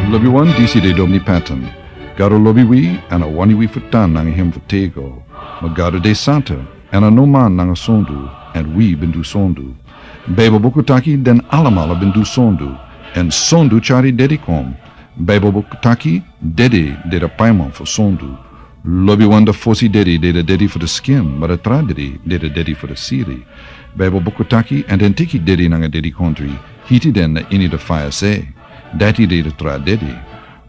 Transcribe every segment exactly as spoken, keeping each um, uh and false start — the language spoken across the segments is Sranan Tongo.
Lobiwan, disi de Domini Patton. Gado lobi wi, èn a wani wi fu tan nanga hem fu tego. Ma Gado de santa, èn a no man nanga sondu, èn wi ben du sondu. Baibel buku taki den alamala ben du sondu, èn sondu tyari dedi kon. Baibel buku taki dedi de a paiman fu sondu. Lobiwan, a fosi dedi de a dedi fu a skin, ma a tra dedi de a dedi fu a siri. Baibel buku taki, èn den teki dedi nanga dedikondri, hiti den na ini a faya se. Dati de a tra dedi.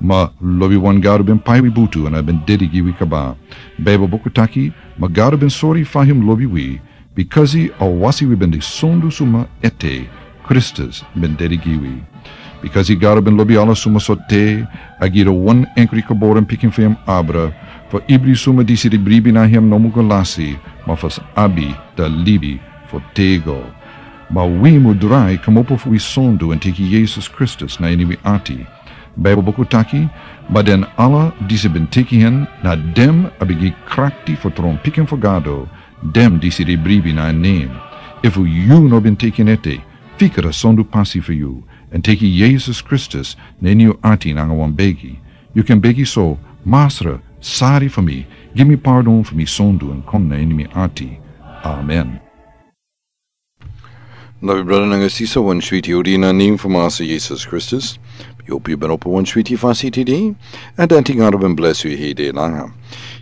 Ma lobiwan, Gado ben pai wi butu èn a ben dedi gi wi kaba. Baibel buku taki, ma Gado ben sori fa hem lobi wi, bikasi a wasi wi ben de sondu suma ete, Kristus ben dedi gi wi. Bikasi Gado ben lobi ala suma sortu, a gi a wan enkri geboren pikin fu hem abra, fu ibri suma disi e bribi na hem no mu go lasi, ma fu sa abi a libi fu tego. Ma wi mu drai kmopo fu wi sondu èn teki Yesus Kristus na ini wi ati. Baibel buku taki, ma den ala disi ben teki hen, na den a ben gi krakti fu tron pikin fu Gado, den disi e bribi na en nen. Efu yu no ben teki en ete, fika a sondu pasi fu yu, èn teki Yesus Kristus na ini yu ati nanga wan begi. Yu kan begi so: Masra, sori fu mi, gi mi pardon fu mi sondu èn kon na ini mi ati. Amen. Lobi brada nanga sisa, wan switi odi na nen fu Masra Yesus Kristus. Yu hopi yu ben opo wan switi fasi tide, èn dati Gado ben blesi yu heri langa.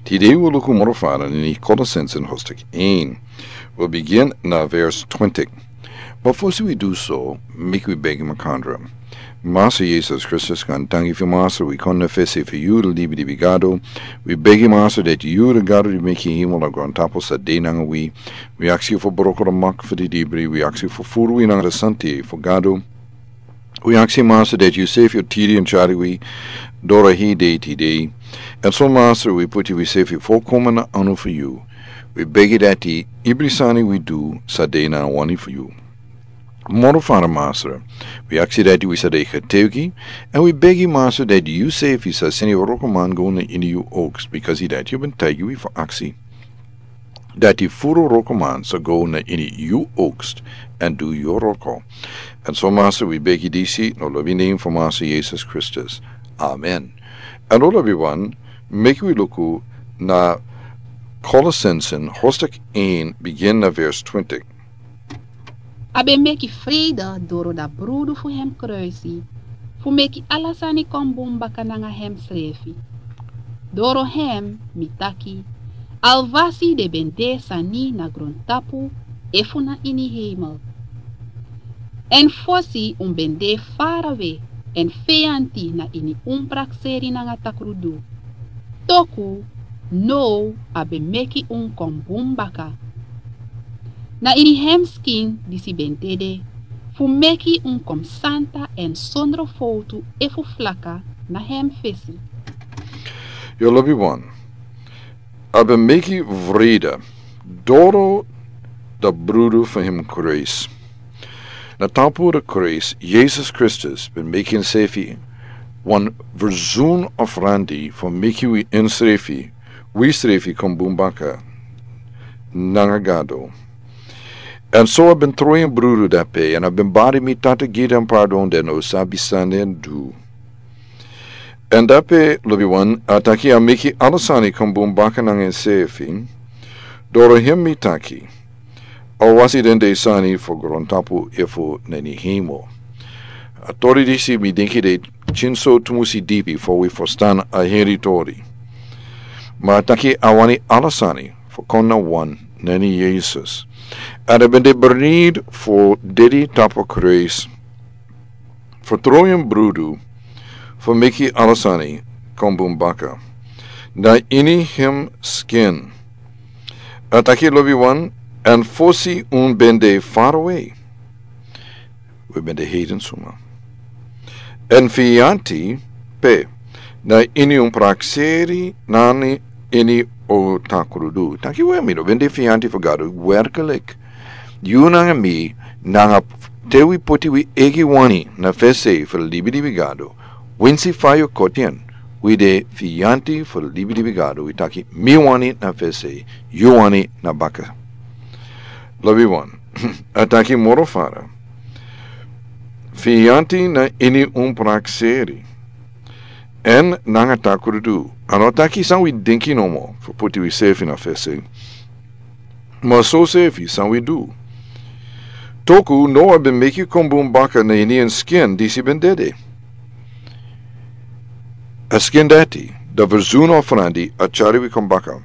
Tide wi luku moro fara na ini Kolosense hoofdstuk één. Wi bigin na vers twintig. Ma fosi wi du so, meki wi begi makandra. Masra Yesus Kristus, kon tangi fu Masra, wi kon na fesi fu yu, a libi libi Gado. Wi begi Masra dati yu, a Gado di meki hemel nanga grontapu, sa de nanga wi. Wi aksi yu fu broko a mak fu a didibri, wi aksi yu fu furu wi nanga a santa fu Gado. Wi aksi Masra dati yu sefi o tiri èn tyari wi, doro heri tide. Èn so Masra, wi puti wi sefi folkomen na anu fu yu. Wi begi dati ibri sani wi du sa de na wani fu yu. Moro fara Masra, wi aksi dati wi sa de getuigi, èn wi begi Masra dati yu sefi sa seni wrokoman go na ini yu oogst, bikasi dati yu ben taigi wi fu aksi. Dati furu wrokoman sa go na ini yu oogst, èn du yu wroko. Èn so Masra, wi begi disi na a lobi nen fu Masra Yesus Kristus. Amen. Èn lobiwan, meki wi luku na Kolosense hoofdstuk één, bigin na vers twintig. A ben meki frede doro a brudu fu hem kruisi, fu meki ala sani kon bun baka nanga hem srefi. Doro hem mi taki, alwasi den ben de sani na grontapu efu na ini hemel. Èn fosi un ben de farawe èn feyanti na ini un prakseri nanga takrudu. Toku now a ben meki un kon bun baka. Na ini hem skin disi ben dede, fu meki un kon santa èn sondro fowtu efu flaka na hem fesi. Yu lobiwan, a ben meki frede doro a brudu fu hem kruisi. Na tapu a kruisi, Yesus Kristus ben meki ensefi wan verzoen offerandi fu meki wi ensrefi, wi srefi kon bun baka nanga Gado. Èn so a ben tron en brudu drape, èn a ben bari mi tata gi den pardon den no sabi san den du. Èn drape lobiwan, a taki a meki ala sani kon bun baka nanga ensefi, doro hem mi taki, alwasi den de sani fu grontapu efu na ini hemel. A tori disi mi denki de kinso tumusi dipi fu wi ferstan a heri tori. Ma a taki a wani ala sani fu kon na wan na ini Yesus. Èn a ben de bereid fu dede tapu kruisi, fu tron en brudu, fu meki ala sani kon bun baka. Na ini hem skin. A taki lobiwan, èn fosi un ben de farawe. Wi ben de heiden suma. Èn feyanti pe, na ini un prakseri nanga ini un takrudu. Taki we mi no ben de feyanti fu Gado, werkelijk. Yu nanga mi, nanga te wi poti wi eigi wani na fesi fu libi libi Gado, winsi fa yu koti en, wi de feyanti fu libi libi Gado, wi taki mi wani na fesi, yu wani na baka. Lobiwan, a taki moro fara. Feyanti na ini un prakseri. Èn nanga takrudu, a no taki san wi denki nomo fu poti wi sefi na fesi. Ma so sefi san wi du. Toku Noa ben meki kon bun baka na ini en skin disi ben dede. A skin dati, da verzun ofrandi a tyari wi kon baka.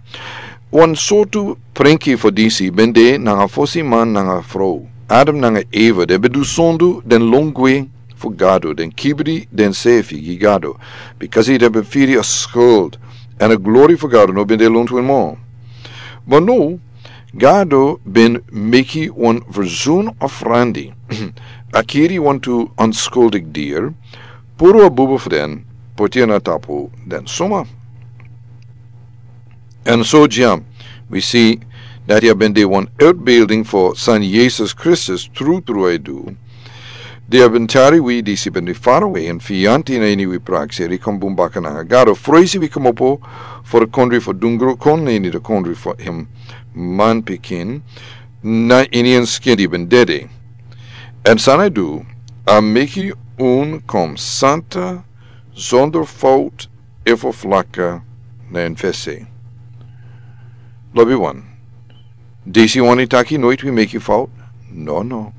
Wan sortu prenki fu disi ben de nanga fosi man nanga frow. Adam nanga Eva den ben du sondu den lon gwe fu Gado, den kibri den sefi gi Gado, bikasi den ben firi a skuld, èn a glori fu Gado no ben de lontu en mo. Ma no, Gado ben meki wan verzun ofrandi, a kiri wantu onskuldik dier, puru a bubu fu den, poti en na tapu den suma. Èn so dya, wi si dati a ben de wan outbeelding fu san Yesus Kristus trutru e du. Di a ben tyari wi disi ben de farawe èn fiyanti na ini wi prakseri kon bun baka nanga Gado, fresi wi komopo fu di kondri fu dungru kon na ini di kondri fu en manpikin, na ini en skin di ben dede. Èn san a du, a meki un kon santa, zonder fout, efu flaka na en fesi. Lobi wan. Disi wani taki noit wi meki fout? No, no.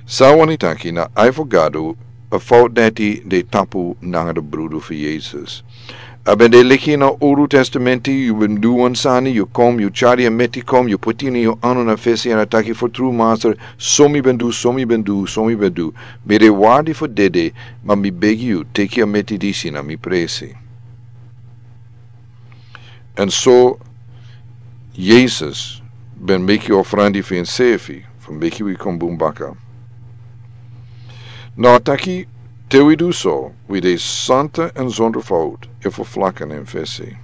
San wani taki na ai fu Gado, a fout dati de tapu nanga di brudu fu Yesus. A ben de leki na Owru Testamenti, yu ben du wan sani, yu kom, yu tyari a meti kom, yu poti ini yu anu na fesi èn a taki fu tru Masra, so mi ben du, so mi ben du, so mi ben du. Mi de wardi fu dede, ma mi begi yu, teki a meti disi na mi presi. Èn so Yesus ben meki ofrandi fu ensefi, fu meki wi kon bun baka. Na a taki te wi du so, wi de santa èn zonder fout, efu flaka na en fesi.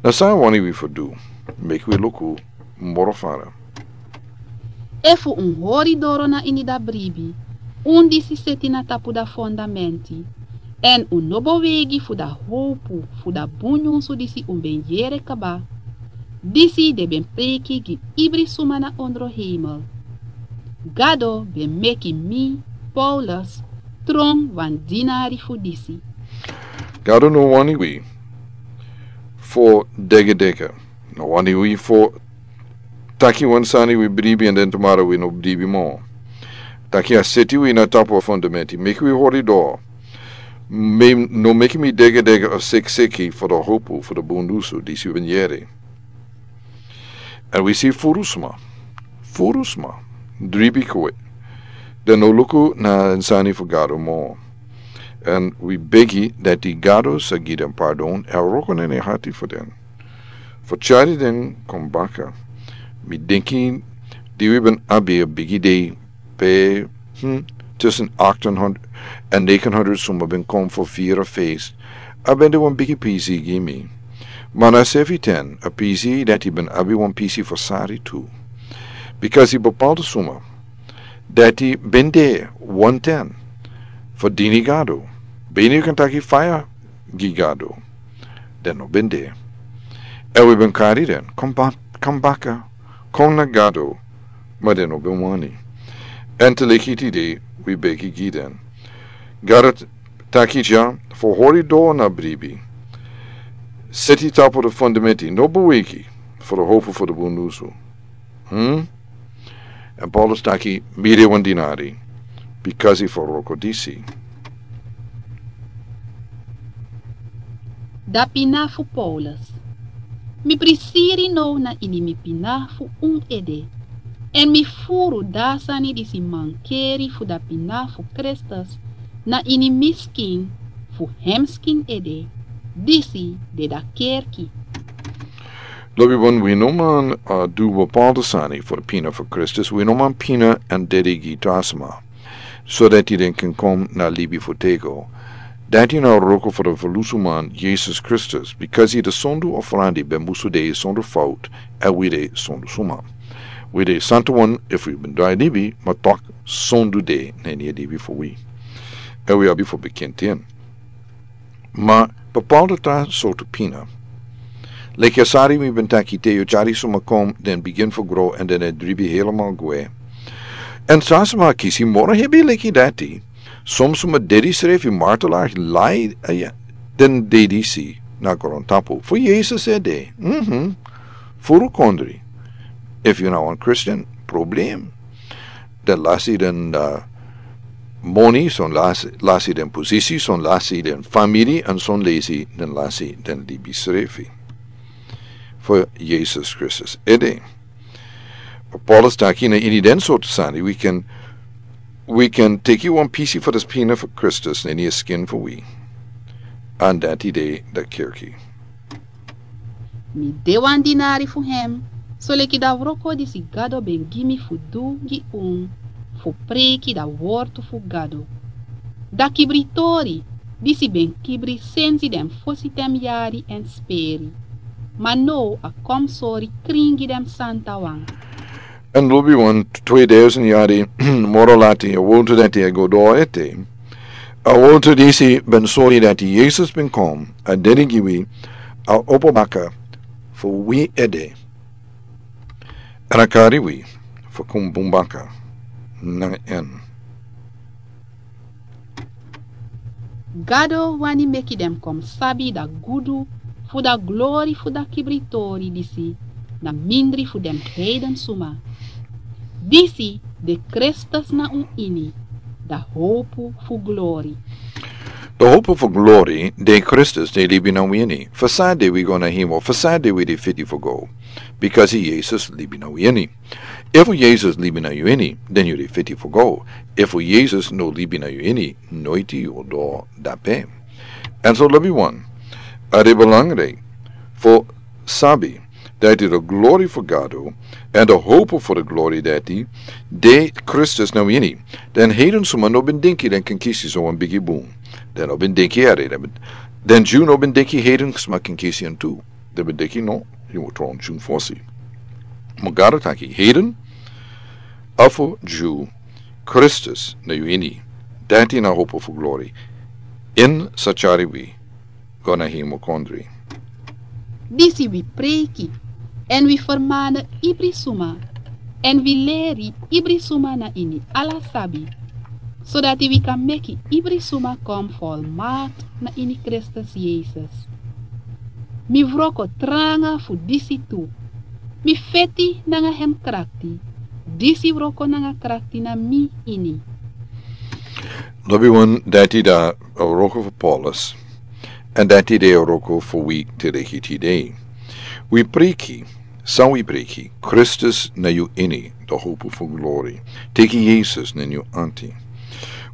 Na san a wani wi fu du, meki wi luku moro fara. Efu un hori doro na ini da bribi, un disi seti na tapu da fondamenti, èn un no bowegi fu da howpu fu da bun nyunsu disi un ben yere kaba, disi den ben preki gi ibri suma na ondro heimel. Gado ben meki mi, Paulus, tron wan dinari fu disi. Gado no wani wi fu degedege. No wani wi fu taki wan sani wi bribi èn den tumara wi no bribi mo. Taki a seti wi na tapu a fondamenti, meki wi hori doro. Mi no meki mi degedege a sekiseki fu da howpu fu da bun nyunsu disi wi ben yere. Èn wi si furu sma, furu sma, dribi kwe. Den no luku na en sani fu Gado mo. Èn wi begi dati Gado sa gi den pardon, èn wroko na en hati fu den. Fu tyari den kon baka. Mi denki di wi ben abi a bigi dei pe, hmm, tussen acht en honderd en negen honderd suma ben kon fu fira fesi. A ben de wan bigi pisi gi mi. Ma na sefi ten, a pisi dati ben abi wan pisi fu sari tu. Bikasi bepaalde suma dati ben de wan ten fu dini Gado. Ben yu kan taki faya gi Gado. Den no ben de. Èn wi ben kari den kon ba-, kon baka, kon na Gado, ma den no ben wani. Èn te leki tide wi begi gi den. Gado t-, taki dya fu hori doro na bribi. Seti tapu da fondamenti, no bowegi fu da howpu fu da bun nyunsu. Hmm? Èn Paulus taki mi de wan dinari, bikasi fu wroko disi. Da pina fu Paulus. Mi prisiri now na ini mi pina fu un ede. Èn mi furu da sani disi mankeri fu da pina fu Kristus na ini mi skin fu hem skin ede. Disi de da kerki. Lobi wan, wi no man, uh, du bepaalde sani fu da pina fu Kristus, wi no man pina èn dede gi tra sma, so dati den kan kon na libi fu têgo. Dati na wroko fu da ferlusuman Yesus Kristus, bikasi da sondu ofrandi ben musu de sondu fout, èn wi de sondu suma. Wi de santa wan efu wi ben drai libi, ma tok sondu de na ini a libi fu wi. Èn wi abi fu bekenti en. Ma bepaalde tra sortu pina. Leki a sari mi ben taki te yu tyari suma kon, den bigin fu gro, èn den e dribi helemaal gwe. Èn tra sma kisi moro hebi leki dati. Son suma dedi srefi martelar lai, eh, den dedi si na grontapu fu Yesus ede. Mhm. Furu kondri. Efu yu na wan Christian, problem. Den lasi den, uh, moni, son lasi, lasi den posisi, son lasi den famiri, èn son lesi den lasi den libi srefi. Fu Yesus Kristus ede. Paulus taki na ini den sortu sani, wi kan, wi kan teki wan pisi fu den spina fu Kristus na ini a skin fu wi. Èn dati de den kerki. Mi de wan dinari fu hem, soleki dan wroko disi Gado ben gi mi fu du gi unu, fu preiki dan wortu fu Gado. Dan kibritori, disi ben kibri sensi den fosi ten yari èn speri. Ma now a kon sori krin gi den santawan. Èn lobi wan tweduizend yari moro lati, a wowtu dati e go doro ete. A wowtu disi ben sori dati Yesus ben kon, a dedi gi wi, a opo baka fu wi ede. Èn a kari wi fu kon bun baka nanga en. Gado wani meki den kon sabi dan gudu fu dan glori fu dan kibritori disi na mindri fu den heiden suma. Disi de Kristus na un ini, dan howpu fu glori. Dan howpu fu glori de Kristus di libi na wi ini. Fu san de wi go na hemel, fu san de wi de fiti fu go. Bikasi Yesus libi na wi ini. Efu Yesus libi na yu ini, den yu de fiti fu go. Efu Yesus no libi na yu ini, noiti yu o doro dape. Èn so lobi wan, a de belangrijk fu sabi dati dan glori fu Gado, èn dan howpu fu dan glori dati, de Kristus na wi ini. Den heiden suma no ben denki den kan kisi so wan bigi bun. Den no ben denki a de, den ben, den Jew no ben denki heiden suma kan kisi en tu. Den ben denki no, yu mus tron Jew fosi. Ma Gado taki heiden, efu Jew, Kristus na yu ini. Dati na howpu fu glori. En sa tyari wi go na hemel kondri. Disi wi preiki, èn wi fermani ibri suma, èn wi leri ibri suma na ini ala sabi, sodati wi kan meki ibri suma kon folmakti na ini Kristus Yesus. Mi wroko tranga fu disi tu. Mi feti nanga hem krakti. Disi wroko nanga krakti na mi ini. Lobi wan, dati dan a wroko fu Paulus. Èn dati de a wroko fu wi te de hiti de. Wi preiki, san wi preiki, Kristus na yu ini, dan howpu fu glori. Teki Yesus na yu anti.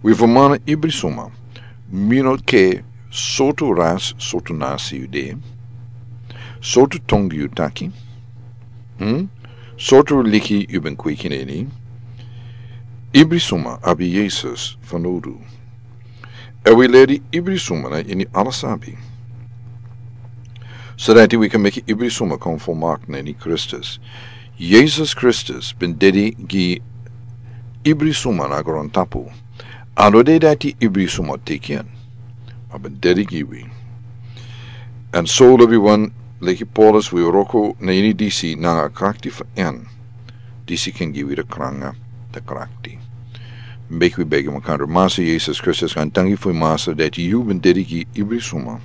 Wi fermani ibri suma, mi no kere sortu ras, sortu nasi yu de, sortu tongu yu taki, hmm? Sortu liki yu ben kweki na ini. Ibri suma abi Yesus fanowdu. Èn wi leri ibri suma na ini ala sabi. Sodati wi kan meki ibri suma kon folmakti na ini Kristus. Yesus Kristus ben dedi gi ibri suma na grontapu. A no de dati ibri suma teki en. A ben dedi gi wi. Èn so lobi wan, leki Paulus wi wroko na ini disi nanga krakti fu en. Disi kan gi wi dan kranga, dan krakti. Meki wi begi makandra. Masa Yesus Kristus, wi danki fu yu Masa dati yu ben dedi gi ibri suma.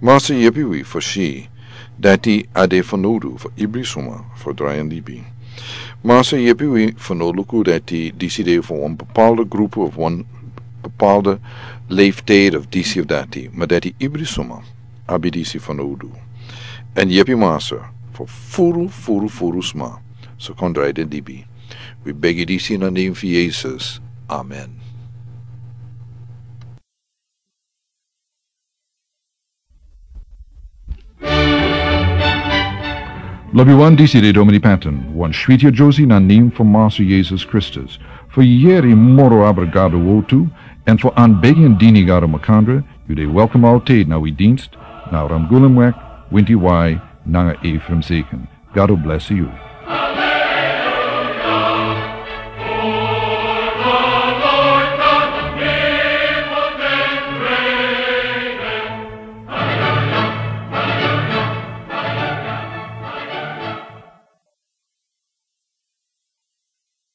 Masa yepi wi fu si dati a de fanowdu fu ibri suma fu drai en libi. Masa yepi wi fu no luku dati disi de fu wan bepaalde grupu of wan bepaalde leeftijd of disi of dati, ma dati ibri suma abi disi fanowdu. Èn yepi Masa fu furu, furu, furu sma sa kon drai den libi. Wi begi disi na nen fu Yesus. Amen. Lobi wan, disi de Domini Patton, wan switi a Josi na nen fu Masa Yesus Kristus. Fu yeri moro abra Gado wowtu, èn fu anbegi en dini Gado makandra, yu de welkom altijd na wi dienst, na Ramgulumweg, Winti Wai, nanga Ephraim Zeken. Gado blesi yu.